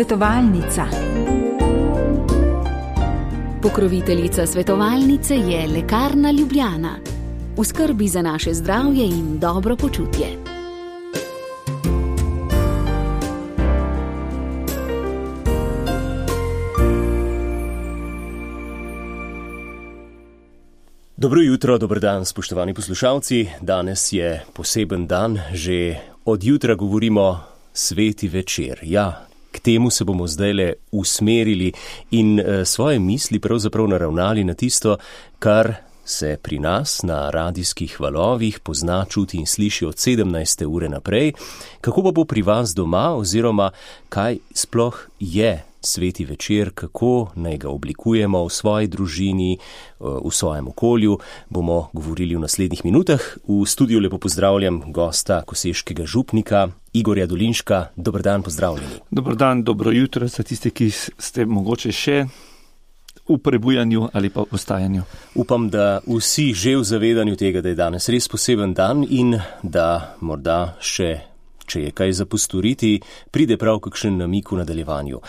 Svetovalnica. Pokroviteljica svetovalnice je Lekarna Ljubljana. V skrbi za naše zdravje in dobro počutje. Dobro jutro, dober dan, spoštovani poslušalci. Danes je poseben dan, že od jutra govorimo sveti večer. Ja, k temu se bomo zdajle usmerili in svoje misli pravzaprav naravnali na tisto, kar se pri nas na radijskih valovih pozna, čuti in sliši od 17. ure naprej. Kako pa bo pri vas doma oziroma kaj sploh je sveti večer, kako naj ga oblikujemo v svoji družini, v svojem okolju, bomo govorili v naslednjih minutah. V studiu lepo pozdravljam gosta koseškega župnika Igorja Dolinška. Dober dan, pozdravljeni. Dober dan, dobro jutro za tiste, ki ste mogoče še v prebujanju ali pa v ostajanju. Upam, da vsi že v zavedanju tega, da je danes res poseben dan in da morda še, če je kaj za postoriti, pride prav kakšen namik v nadaljevanju.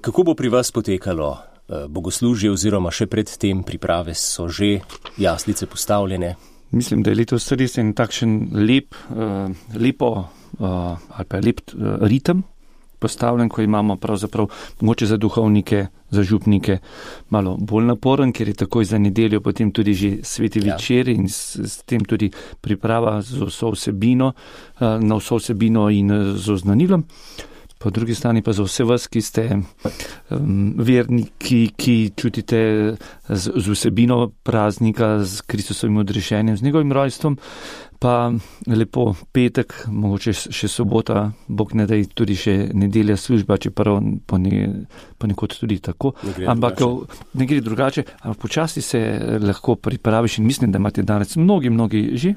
Kako bo pri vas potekalo bogoslužje oziroma še pred tem priprave, so že jaslice postavljene? Mislim, da je letos res en takšen lep ritem postavljen, ko imamo pravzaprav mogoče za duhovnike, za župnike malo bolj naporen, ker je takoj za nedeljo potem tudi že sveti večer in s tem tudi priprava z vso vsebino, na vso vsebino in z oznanilom. Po drugi strani pa za vse vas, ki ste verniki, ki čutite z vsebino praznika, z Kristusovim odrešenjem, z njegovim rojstvom, pa lepo petek, mogoče še sobota, Bog ne daj tudi še nedelja služba, čeprav ponekod tudi tako. Ne gre drugače, ampak počasi se lahko pripraviš in mislim, da imate danes mnogi že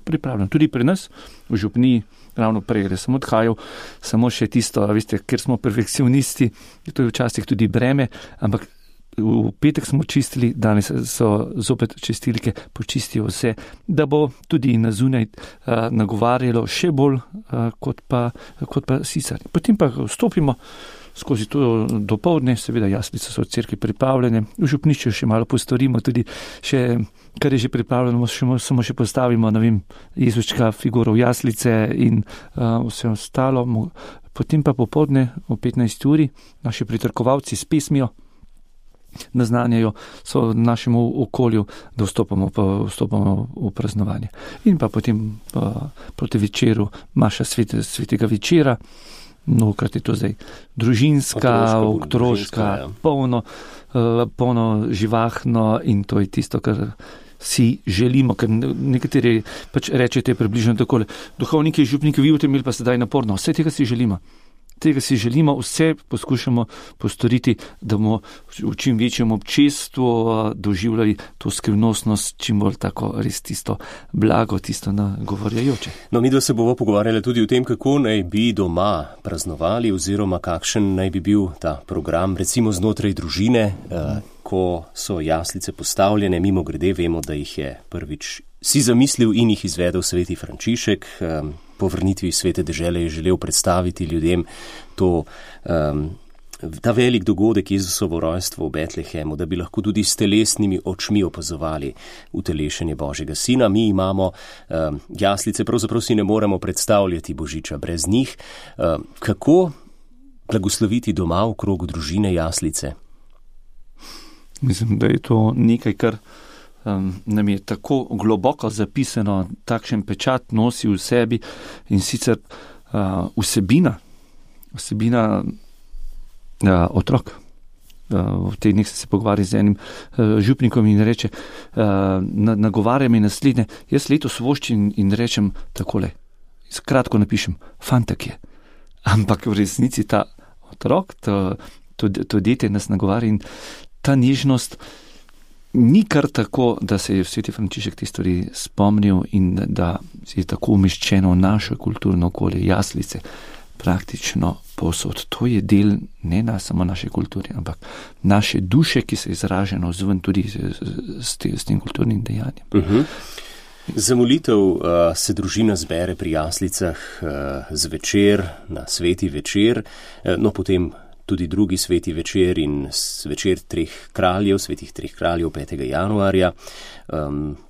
pripravljeno. Tudi pri nas v župniji, ravno prej, sem odhajal, samo še tisto, veste, ker smo perfekcionisti, to je včasih tudi breme, ampak v petek smo čistili, danes so zopet čistilke, počistijo vse, da bo tudi na zunaj nagovarjalo še bolj kot pa sicer. Potem pa vstopimo skozi to dopoldne, seveda jaslice so v cerkvi pripravljene, v župnišču še malo postorimo, tudi še, kar je že pripravljeno, samo še postavimo, Jezuška figuro v jaslice in vse ostalo. Potem pa popoldne o 15. uri naši pritrkovalci s pesmijo naznanjajo so našemu okolju, da vstopamo v praznovanje. In pa potem proti večeru maša svetega večera, mnogokrat je to zdaj družinska, otroška, polno živahno in to je tisto, kar si želimo, ker nekateri pač rečete približno takole, duhovniki, župniki, vi v tem pa sedaj naporno, vse tega si želimo. Vse poskušamo postoriti, da bomo v čim večjem občestvu doživljali to skrivnostnost, čim bolj tako res tisto blago, tisto nagovarjajoče. No, mi dva se bomo pogovarjali tudi o tem, kako naj bi doma praznovali oziroma kakšen naj bi bil ta program, recimo znotraj družine, ko so jaslice postavljene. Mimo grede vemo, da jih je prvič si zamislil in jih izvedel sveti Frančišek. Po vrnitvi svete dežele je želel predstaviti ljudem ta velik dogodek, Jezusovo rojstvo v Betlehemu, da bi lahko tudi s telesnimi očmi opazovali utelešenje Božjega Sina. Mi imamo jaslice, pravzaprav si ne moremo predstavljati Božiča brez njih. Kako blagosloviti doma v krogu družine jaslice? Mislim, da je to nekaj, kar nam je tako globoko zapisano, takšen pečat nosi v sebi in sicer vsebina otrok. V teh dneh se pogovarjam z enim župnikom in reče, nagovarja mi naslednje, jaz letos voščim in rečem takole, kratko napišem, fantak je. Ampak v resnici ta otrok, to dete nas nagovarja in ta nežnost ni kar tako, da se je sveti Frančišek te stvari spomnil in da je tako umeščeno v naše kulturno okolje, jaslice, praktično povsod. To je del ne samo naše kulture, ampak naše duše, ki se izraža navzven tudi s tem kulturnim dejanjem. Za molitev se družina zbere pri jaslicah zvečer, na sveti večer, no potem tudi drugi sveti večer in večer svetih treh kraljev 5. januarja.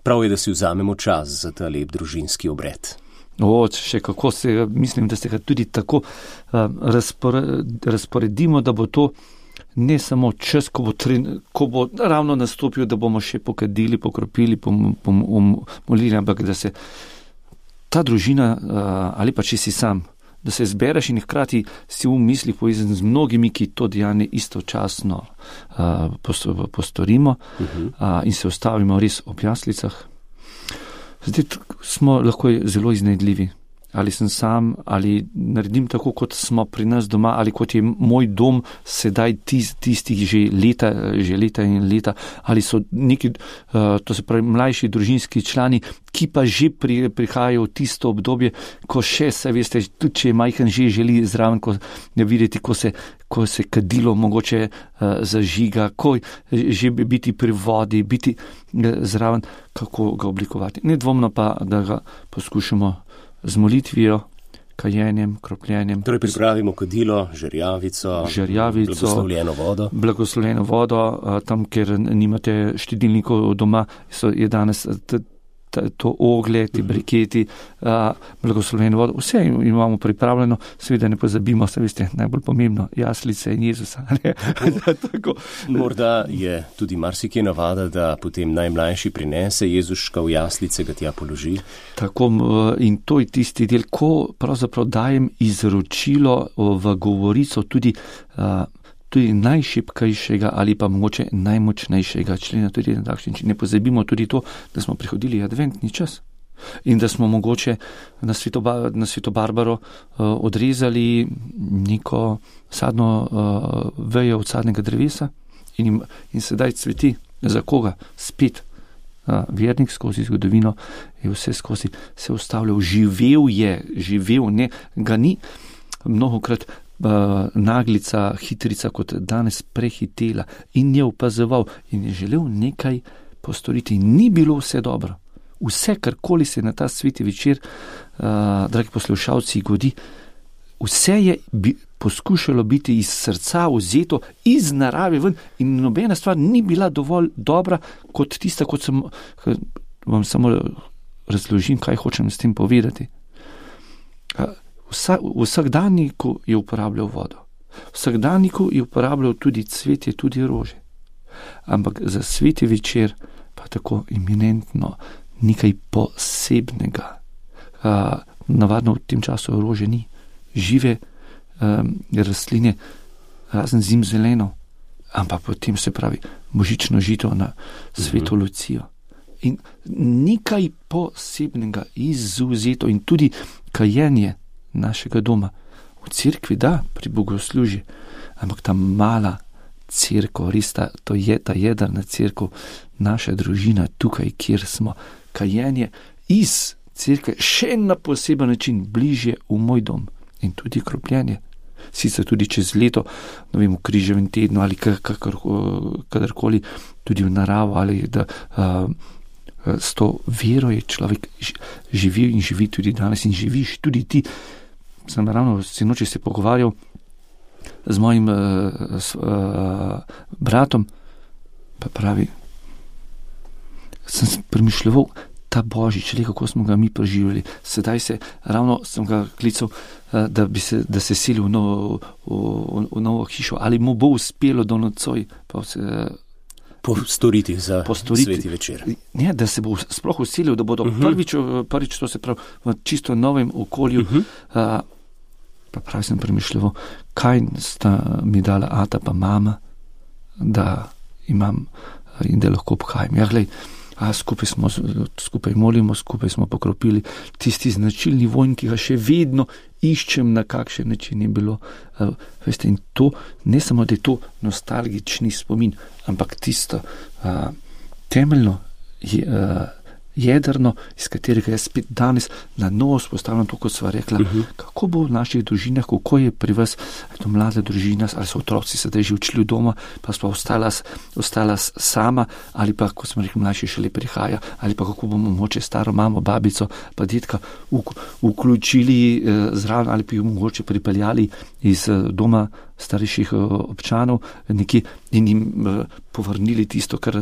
Prav je, da si vzamemo čas za ta lep družinski obred. Še kako mislim, da se ga tudi tako razporedimo, da bo to ne samo čas, ko bo ravno nastopil, da bomo še pokadili, pokropili, molili, ampak da se ta družina, ali pa če si sam, da se zbereš in hkrati si v mislih povezan z mnogimi, ki to dejanje istočasno postorimo in se ustavimo res ob jaslicah. Zdaj smo lahko zelo iznajdljivi. Ali sem sam, ali naredim tako, kot smo pri nas doma, ali kot je moj dom sedaj tistih že leta in leta, ali so neki, to se pravi, mlajši družinski člani, ki pa že prihajajo v tisto obdobje, ko še se, veste, tudi če je majhen, že želi zraven, ko ne videti, ko se kadilo mogoče zažiga, ko že biti pri vodi, biti zraven, kako ga oblikovati. Nedvomno pa, da ga poskušamo z molitvijo, kajenjem, kropljenjem. Torej pripravimo kadilo, žerjavico, blagoslovljeno vodo, tam, kjer nimate štedilnikov doma, je danes to oglje, ti briketi, blagoslovljeno vodo. Vse imamo pripravljeno, seveda ne pozabimo, se veste, najbolj pomembno, jaslice in Jezusa. Morda je tudi marsikje navada, da potem najmlajši prinese Jezuška v jaslice, ga tja položi. Tako, in to je tisti del, ko pravzaprav dajem izročilo v govorico tudi najšibkejšega ali pa mogoče najmočnejšega člena, tudi na takšen način. Ne pozabimo tudi to, da smo prihodili adventni čas in da smo mogoče na Sveto Barbaro odrezali neko sadno vejo od sadnega drevesa in sedaj cveti. Za koga? Spet vernik skozi zgodovino je vse skozi se ustavljal. Živel, ne, ga ni mnogokrat naglica, hitrica kot danes prehitela in je opazoval in je želel nekaj postoriti. Ni bilo vse dobro. Vse, karkoli se na ta sveti večer, dragi poslušalci, godi, vse je poskušalo biti iz srca vzeto, iz narave ven in nobena stvar ni bila dovolj dobra kot tista, kot sem vam samo razložim, kaj hočem s tem povedati. Vsakdanjiku je uporabljal vodo. Vsakdanjiku je uporabljal tudi cvetje, tudi rože. Ampak za sveti večer pa tako eminentno nekaj posebnega. Navadno v tem času rože ni. Žive rastline, razen zimzeleno, ampak potem se pravi božično žito na sveto Lucijo. In nekaj posebnega, izvzeto in tudi kajenje našega doma. V cerkvi da, pri bogoslužju, ampak ta mala cerkev, res to je ta jedrna cerkev, naša družina tukaj, kjer smo, kajenje iz cerkve še na poseben način bližje v moj dom in tudi kropljenje. Sicer tudi čez leto, ne vem, v križevem tednu ali kadarkoli, tudi v naravo ali da s to vero je človek živi in živi tudi danes in živiš tudi ti. Sem ravno sinoči se pogovarjal z mojim bratom, pa pravi, sem premišljeval ta Božič, kako smo ga mi preživeli. Sedaj ravno sem ga klical, da se seli v novo hišo, ali mu bo uspelo do nocoj, postoriti za sveti večer. Ne, da se bo sploh uselil, da bodo prvič, to se pravi, v čisto novem okolju. Pa pravi sem premišljeval, kaj sta mi dala ata pa mama, da imam in da lahko obhajam. Ja, glej, skupaj molimo, skupaj smo pokropili tisti značilni vonj, ki ga še vedno iščem, na kakšen način je bilo. Veste, in to, ne samo, da je to nostalgični spomin, ampak tisto temeljno jedrno, iz katerega je spet danes na novo spostavljeno to, kot sva rekla, kako bo v naših družinah, kako je pri vas, to mlada družina, ali so otroci sedaj že odšli v doma, pa sva ostala sama, ali pa, ko smo rekli, mlajši šele prihaja, ali pa kako bomo mogoče staro mamo, babico, pa detka vključili zraven, ali pa jo mogoče pripeljali iz doma starejših občanov nekje in jim povrnili tisto, kar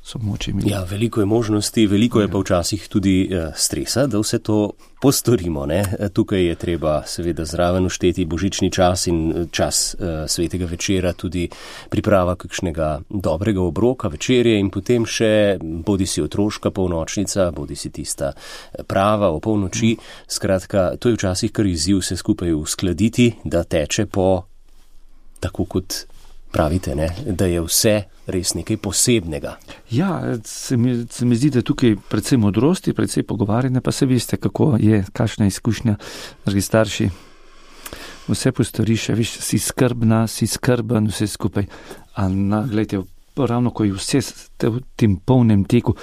so moče imeli. Ja, veliko je možnosti, veliko je pa včasih tudi stresa, da vse to postorimo. Ne? Tukaj je treba seveda zraven ušteti božični čas in čas svetega večera, tudi priprava kakšnega dobrega obroka, večerje in potem še bodi si otroška polnočnica, bodi si tista prava o polnoči. Skratka, to je včasih kar izziv se skupaj uskladiti, da teče po, tako kot pravite, ne? Da je vse res nekaj posebnega. Ja, se mi zdi, da tukaj predvsem modrosti, predvsem pogovarjanja, pa se veste, kako je, kakšna izkušnja, dragi starši. Vse postoriš, veš, si skrbna, si skrben, vse skupaj. A gledajte, ravno ko je vse v tem polnem teku,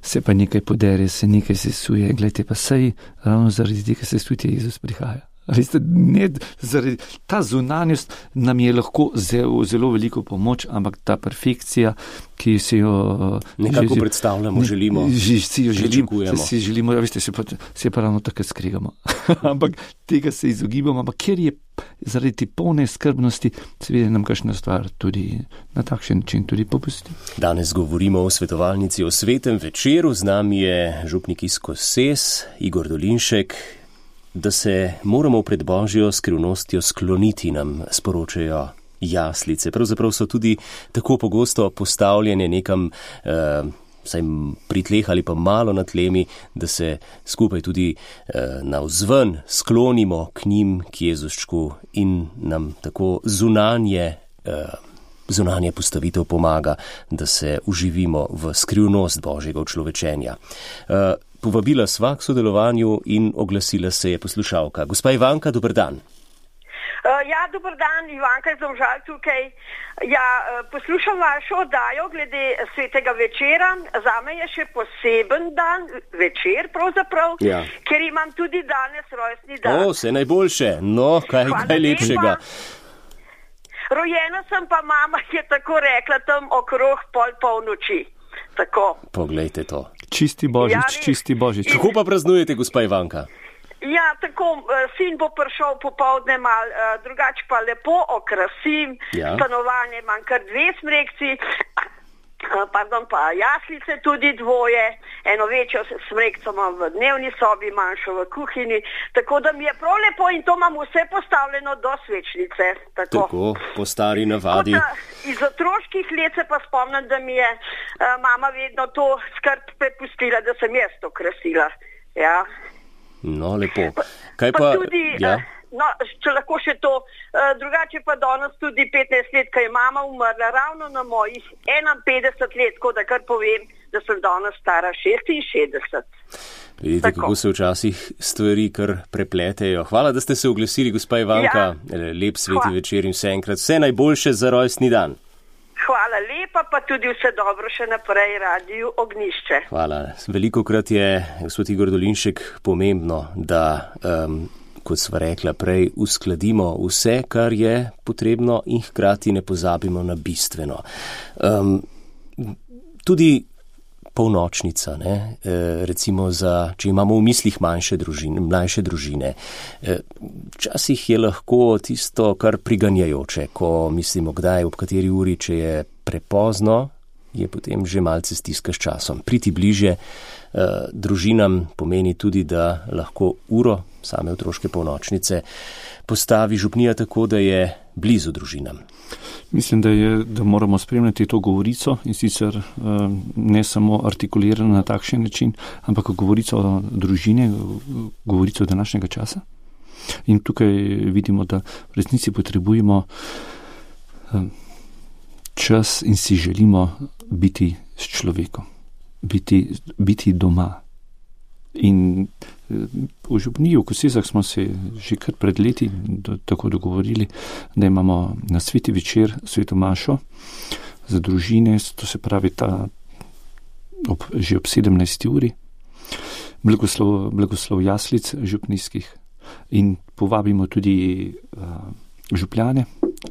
se pa nekaj podere, se nekaj sesuje, gledajte, pa sej ravno zaradi tega se tudi Jezus prihaja. Veste, ne, zaradi ta zunanjost nam je lahko zelo veliko pomoč, ampak ta perfekcija, ki si jo nekako predstavljamo, želimo, si želimo, veste, se pa ravno tako skregamo. Ampak tega se izogibamo, ampak ker je zaradi polne skrbnosti, seveda nam kakšna stvar tudi na takšen način tudi popusti. Danes govorimo o svetovalnici, o svetem večeru, z nami je župnik iz Koses, Igor Dolinšek. Da se moramo pred Božjo skrivnostjo skloniti, nam sporočajo jaslice. Pravzaprav so tudi tako pogosto postavljene nekam vsaj pri tleh ali pa malo na tlemi, da se skupaj tudi navzven sklonimo k njim, k Jezuščku in nam tako zunanje postavitev pomaga, da se uživimo v skrivnost Božjega učlovečenja. Povabila sva k sodelovanju in oglasila se je poslušalka. Gospa Ivanka, dober dan. Ja, dober dan, Ivanka iz Domžal tukaj. Ja, poslušam vašo oddajo glede svetega večera. Zame je še poseben dan, večer pravzaprav, ja. Ker imam tudi danes rojstni dan. Vse najboljše. No, kaj lepšega. Rojena sem pa mama, je tako rekla, tam okrog polnoči. Tako. Poglejte to. Čisti Božič, ja, čisti Božič. Kako pa praznujete, gospa Ivanka? Ja, tako, sin bo prišel popoldne mal, drugače pa lepo okrasim, ja. Stanovanje imam kar 2 smrekci, pa jaslice tudi 2, eno večjo smrekco imam v dnevni sobi, manjšo v kuhinji, tako da mi je prav lepo in to imam vse postavljeno do svečnice. Tako, po stari navadi. Iz otroških let se pa spomnim, da mi je mama vedno to skrb prepustila, da sem jaz to krasila. Ja. No, lepo. Kaj pa tudi, ja? No, če lahko še to, drugače pa danes tudi 15 let, ko je mama umrla, ravno na mojih 51 let, tako da kar povem, da sem danes stara 66. Vidite, tako. Kako se včasih stvari kar prepletejo. Hvala, da ste se oglasili, gospa Ivanka. Ja. Lep sveti večer in vse enkrat. Vse najboljše za rojstni dan. Hvala lepa, pa tudi vse dobro še naprej Radiju Ognjišče. Hvala. Velikokrat je, gospod Igor Dolinšek, pomembno, da, kot sva rekla prej, uskladimo vse, kar je potrebno in hkrati ne pozabimo na bistveno. Tudi polnočnica, ne? Recimo če imamo v mislih mlajše družine. Včasih je lahko tisto kar priganjajoče, ko mislimo kdaj, ob kateri uri, če je prepozno, je potem že malce stiska s časom. Priti bliže družinam pomeni tudi, da lahko uro same otroške polnočnice postavi župnija tako, da je blizu družinam. Mislim, da moramo spremljati to govorico in sicer ne samo artikulirano na takšen način, ampak govorico o družine, govorico današnjega časa. In tukaj vidimo, da v resnici potrebujemo čas in si želimo biti s človekom, biti doma. In v župniji, v Kosezah smo se že kar pred leti tako dogovorili, da imamo na sveti večer sveto mašo za družine, to se pravi že ob 17. uri, blagoslov jaslic župnijskih in povabimo tudi župljane,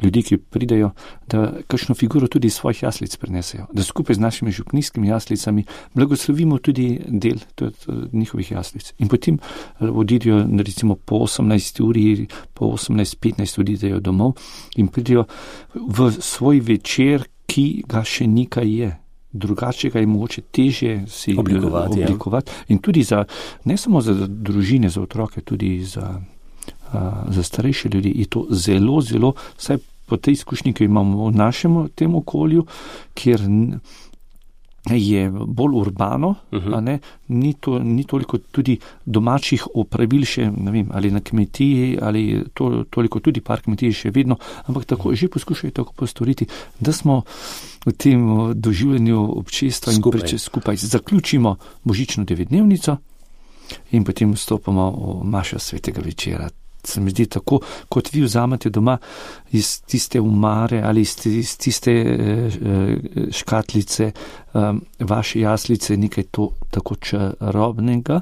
ljudje, ki pridejo, da kakšno figuro tudi iz svojih jaslic prenesejo, da skupaj z našimi župnijskimi jaslicami blagoslovimo tudi del njihovih jaslic. In potem odidejo recimo po 18 uri, po 18-15 odidejo domov in pridejo v svoj večer, ki ga še nekaj je. Drugače ga je mogoče težje si oblikovati. In tudi ne samo za družine, za otroke, tudi za starejše ljudi je to zelo, zelo, vsaj po tej izkušnji, ki imamo v našem tem okolju, kjer je bolj urbano, ni toliko tudi domačih opravil še, ne vem, ali na kmetiji, ali toliko tudi par kmetij še vedno, ampak tako že poskušajo tako postoriti, da smo v tem doživljanju občestva in skupaj zaključimo božično 9-dnevnico in potem vstopamo v mašo svetega večera. Se mi zdi tako, kot vi vzamete doma iz tiste umare ali iz tiste škatlice vaše jaslice nekaj to tako čarobnega,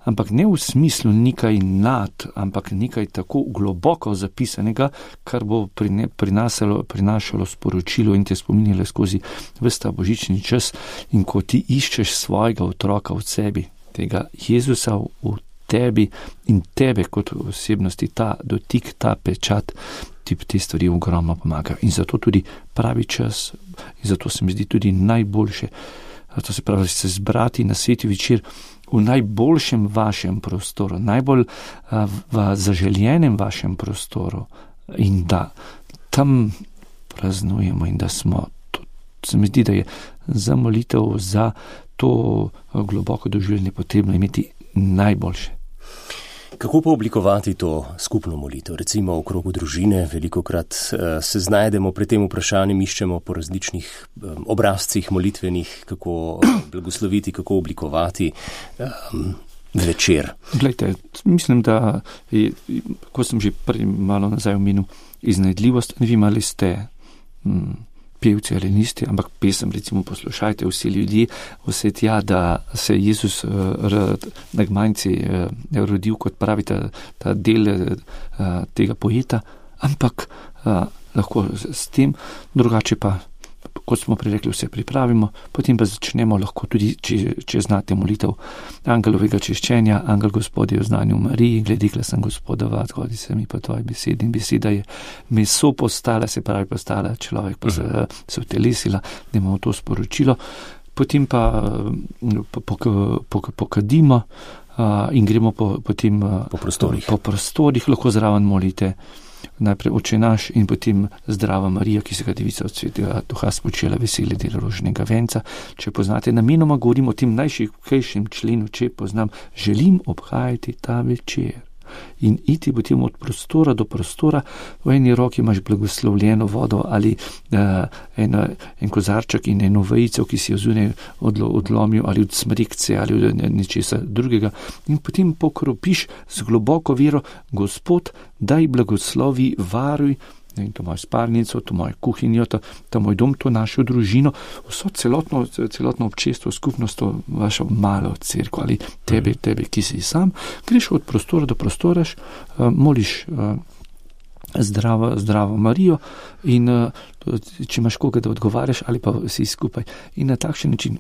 ampak ne v smislu nekaj nad, ampak nekaj tako globoko zapisanega, kar bo prinašalo sporočilo in te spominjalo skozi ves ta božični čas. In ko ti iščeš svojega otroka v sebi, tega Jezusa v tebi in tebe kot osebnosti, ta dotik, ta pečat, ti te stvari ogromno pomagajo. In zato tudi pravi čas, in zato se mi zdi tudi najboljše, to se pravi, se zbrati na sveti večer v najboljšem vašem prostoru, najbolj v zaželjenem vašem prostoru in da tam praznujemo in da smo, se mi zdi, da je za molitev, za to globoko doživljanje potrebno imeti najboljše. Kako pa oblikovati to skupno molitev? Recimo v krogu družine velikokrat se znajdemo pred tem vprašanjem, iščemo po različnih obrazcih molitvenih, kako blagosloviti, kako oblikovati večer. Glejte, mislim, da je, ko sem že malo nazaj omenil, iznajdljivost, ne vem, ali ste pevci ali niste, ampak pesem recimo poslušajte vsi ljudje, vse tja, da se Jezus na Gmajnci rodil, kot pravi ta del tega poeta, ampak lahko s tem, drugače pa, kot smo prirekli, vse pripravimo, potem pa začnemo lahko tudi, če znate molitev angelovega češčenja, angel Gospodje v znanju Mariji, glede glasen Gospodova, odhodi se mi po tvoji besedi, in beseda je meso postala, se pravi postala človek, pa se utelesila, da imamo to sporočilo, potem pa pokadimo in gremo potem po prostorih, lahko zraven molite najprej Oče naš in potem Zdrava Marija, ki se ga Devica od Svetega Duha spočela, veseli del rožnega venca. Če poznate, namenoma govorim o tem najšibkejšem členu, če poznam, želim obhajati ta večer in iti potem od prostora do prostora, v eni roki imaš blagoslovljeno vodo ali en kozarček in eno vejico, ki si jo zunaj odlomil ali od smrekce ali od nečesa drugega in potem pokropiš z globoko vero, Gospod, daj blagoslovi, varuj, in to mojo spalnico, to mojo kuhinjo, to moj dom, to našo družino, vso celotno občestvo, skupnost, to vašo malo cerkev ali tebe, ki si sam, greš od prostora do prostora, moliš Zdravo Marijo in če imaš koga, da odgovarjaš ali pa vsi skupaj. In na takšen način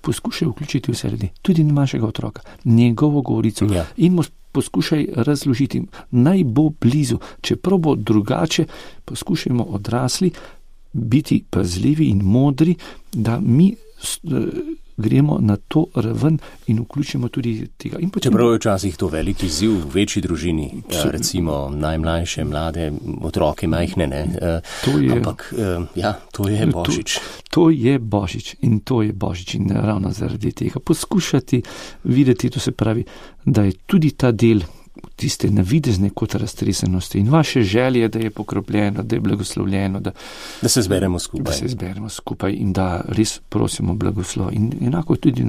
poskušaj vključiti vse ljudi, tudi našega otroka, njegovo govorico in mu poskušaj razložiti, naj bo blizu, čeprav bo drugače, poskušajmo odrasli biti pazljivi in modri, da mi gremo na to raven in vključimo tudi tega. Čeprav je včasih to veliki izziv v večji družini, recimo najmlajše, mlade, otroke, majhne, ampak to je Božič. To je Božič in ravno zaradi tega poskušati videti, to se pravi, da je tudi ta del tiste navidezne kot raztresenosti in vaše želje, da je pokropljeno, da je blagoslovljeno, da se zberemo skupaj in da res prosimo blagoslov. In enako tudi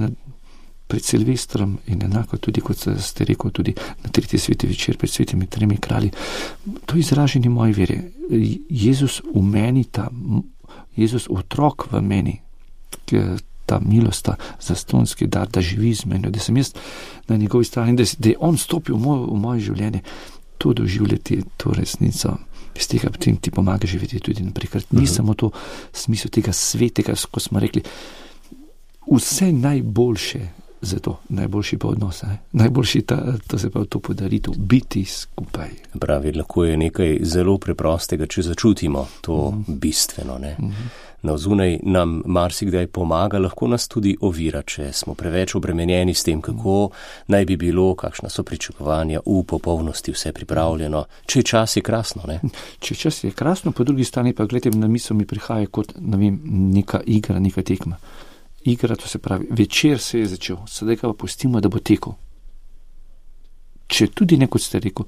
pred Silvestrom in enako tudi, kot ste rekel, tudi na 3. sveti večer pred svetimi 3 kralji. To je izraženje moje vere. Jezus v meni, Jezus otrok v meni, ta milost, ta zastonski dar, da živi z menoj, da sem jaz na njegovi strani, da je on stopil v moje življenje, to doživljati, to resnico, Iz tega potem ti pomaga živeti tudi naprej. Ker ni samo to smisel tega svetega, ko smo rekli, vse najboljše za to, najboljši pa odnos, najboljši to se pa to podaritev, biti skupaj. Pravi, lahko je nekaj zelo preprostega, če začutimo to bistveno, ne. Navzunaj nam marsikdaj pomaga, lahko nas tudi ovira, če smo preveč obremenjeni s tem, kako naj bi bilo, kakšna so pričakovanja, v popolnosti vse pripravljeno. Če čas je krasno, ne? Če čas je krasno, po drugi strani pa, gledajte, na misel mi prihaja kot, neka igra, neka tekma. Igra, to se pravi, večer se je začel, sedaj ga pa pustimo, da bo tekel. Če tudi kot ste rekel,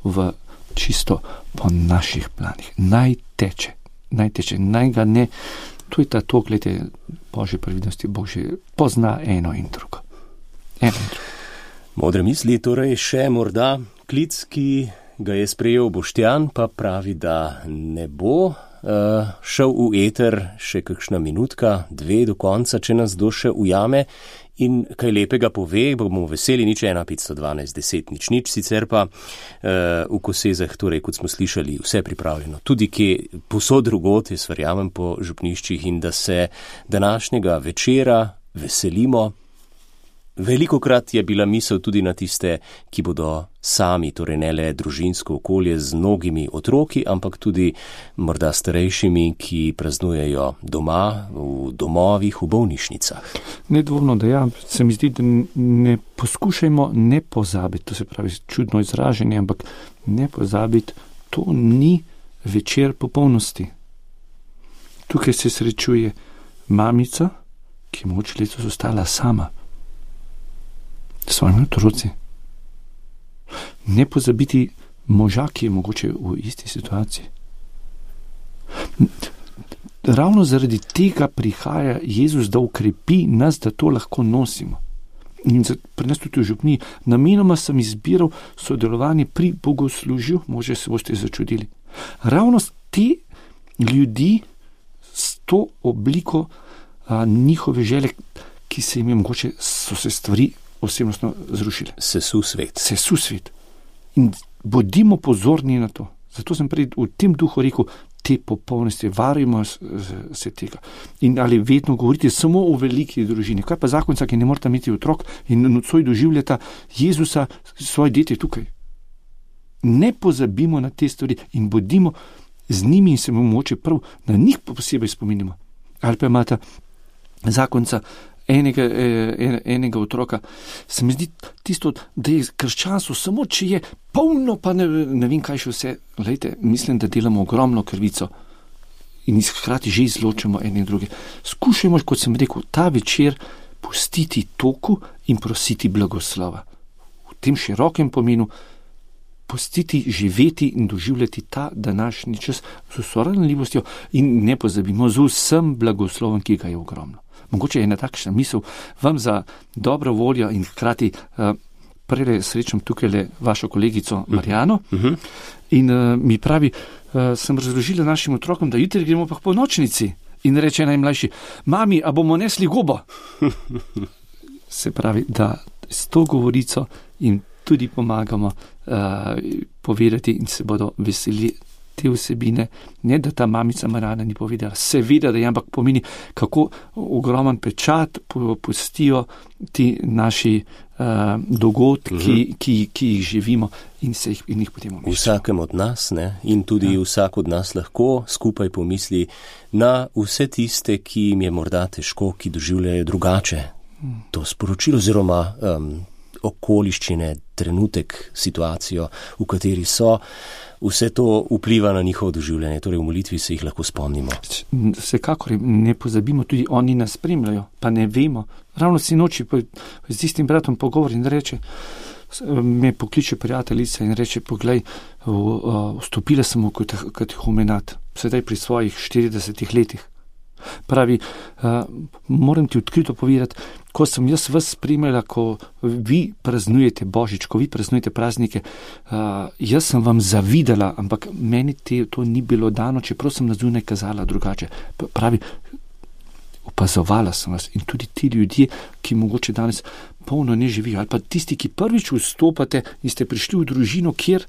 v čisto po naših planih. Naj teče, naj ga ne, to je ta to, gledajte, Božje previdnosti, Bog že pozna eno in drugo. Modre misli, torej še morda klic, ki ga je sprejel Boštjan, pa pravi, da ne bo šel v eter še kakšna minutka, 2 do konca, če nas kdo še ujame in kaj lepega pove, bomo veseli, nič 1 512 10 0, sicer pa v Kosezah, torej kot smo slišali, vse pripravljeno. Tudi kje posod drugot, jaz verjamem po župniščih, in da se današnjega večera veselimo. Velikokrat je bila misel tudi na tiste, ki bodo sami, torej ne le družinsko okolje z mnogimi otroki, ampak tudi morda starejšimi, ki praznujejo doma, v domovih, v bolnišnicah. Nedvomno, da se mi zdi, da ne poskušajmo ne pozabiti, to se pravi čudno izraženje, ampak ne pozabiti, to ni večer popolnosti. Tukaj se srečuje mamica, ki je moč letos ostala sama. Svojimi otroci. Ne pozabiti moža, ki je mogoče v isti situaciji. Ravno zaradi tega prihaja Jezus, da ukrepi nas, da to lahko nosimo. In pri nas tudi v župniji namenoma sem izbiral sodelovanje pri bogoslužju, možje se boste začudili. Ravno te ljudi s to obliko njihove želje, ki se jim je mogoče, so se stvari osebnostno zrušile. Sesu svet. In bodimo pozorni na to. Zato sem prej v tem duhu rekel, te popolnosti, varujmo se tega. In ali vedno govorite samo o veliki družini. Kaj pa zakonca, ki ne morata imeti otrok in nocoj doživljata Jezusa, svoje dete tukaj. Ne pozabimo na te stvari in bodimo z njimi in se bomo moče prav na njih posebej spominimo. Ali pa imata zakonca enega otroka. Se mi zdi tisto, da je krščanstvo samo, če je polno, pa ne vem kaj še vse. Glejte, mislim, da delamo ogromno krivico in hkrati že izločamo ene in druge. Skušajmo, kot sem rekel, ta večer pustiti toku in prositi blagoslova. V tem širokem pomenu pustiti, živeti in doživljati ta današnji čas z vso ranljivostjo in ne pozabimo z vsem blagoslovom, ki ga je ogromno. Mogoče je ena takšna misel vam za dobro voljo in hkrati prej srečam tukaj le vašo kolegico Marjano in mi pravi, sem razložila našim otrokom, da jutri gremo pa k polnočnici in reče najmlajši, mami, a bomo nesli gobo? Se pravi, da s to govorico jim tudi pomagamo povedati in se bodo veseli te vsebine, ne da ta mamica Marjana ni povedala, seveda, da je, ampak pomeni, kako ogromen pečat pustijo ti naši dogodki, ki jih živimo in jih potem umeščamo. Vsakem od nas, ne, in tudi vsak od nas lahko skupaj pomisli na vse tiste, ki jim je morda težko, ki doživljajo drugače to sporočilo oziroma okoliščine, trenutek, situacijo, v kateri so. Vse to vpliva na njihovo doživljanje, torej v molitvi se jih lahko spomnimo. Vsekakor ne pozabimo, tudi oni nas spremljajo, pa ne vemo. Ravno sinoči z istim bratom pogovor in reče, me pokliče prijateljica in reče, poglej, vstopila sem v katehumenat, sedaj pri svojih 40 letih. Pravi, moram ti odkrito povedati, ko sem jaz vas spremljala, ko vi praznujete Božič, ko vi praznujete praznike, jaz sem vam zavidala, ampak meni to ni bilo dano, čeprav sem na zunaj kazala drugače. Pravi, opazovala sem vas in tudi ti ljudje, ki mogoče danes polno ne živijo, ali pa tisti, ki prvič vstopate in ste prišli v družino, kjer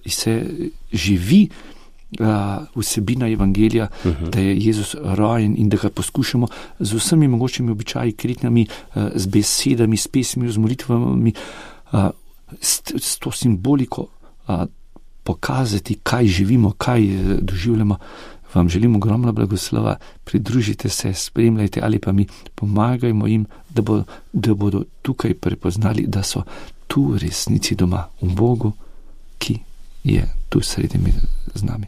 se živi vsebina evangelija, da je Jezus rojen in da ga poskušamo z vsemi mogočimi običaji, kritnjami, z besedami, s pesmi, z molitvami, s to simboliko pokazati, kaj živimo, kaj doživljamo. Vam želim ogromno blagoslova, pridružite se, spremljajte ali pa mi pomagajmo jim, da bodo tukaj prepoznali, da so tu v resnici doma, v Bogu, ki je tu sredi z nami.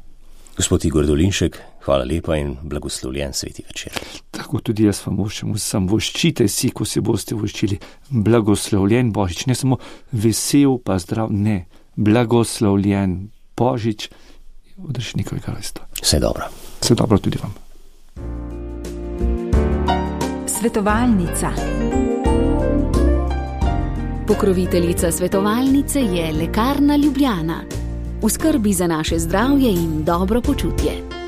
Gospod Igor Dolinšek, hvala lepa in blagoslovljen sveti večer. Tako tudi jaz vam voščem vsem. Voščite si, ko se boste voščili. Blagoslovljen Božič, ne samo vesel pa zdrav, ne. Blagoslovljen Božič v Odrešnikovem kraljestvu. Vse dobro. Vse dobro tudi vam. Svetovalnica. Pokroviteljica svetovalnice je Lekarna Ljubljana. V skrbi za naše zdravje in dobro počutje.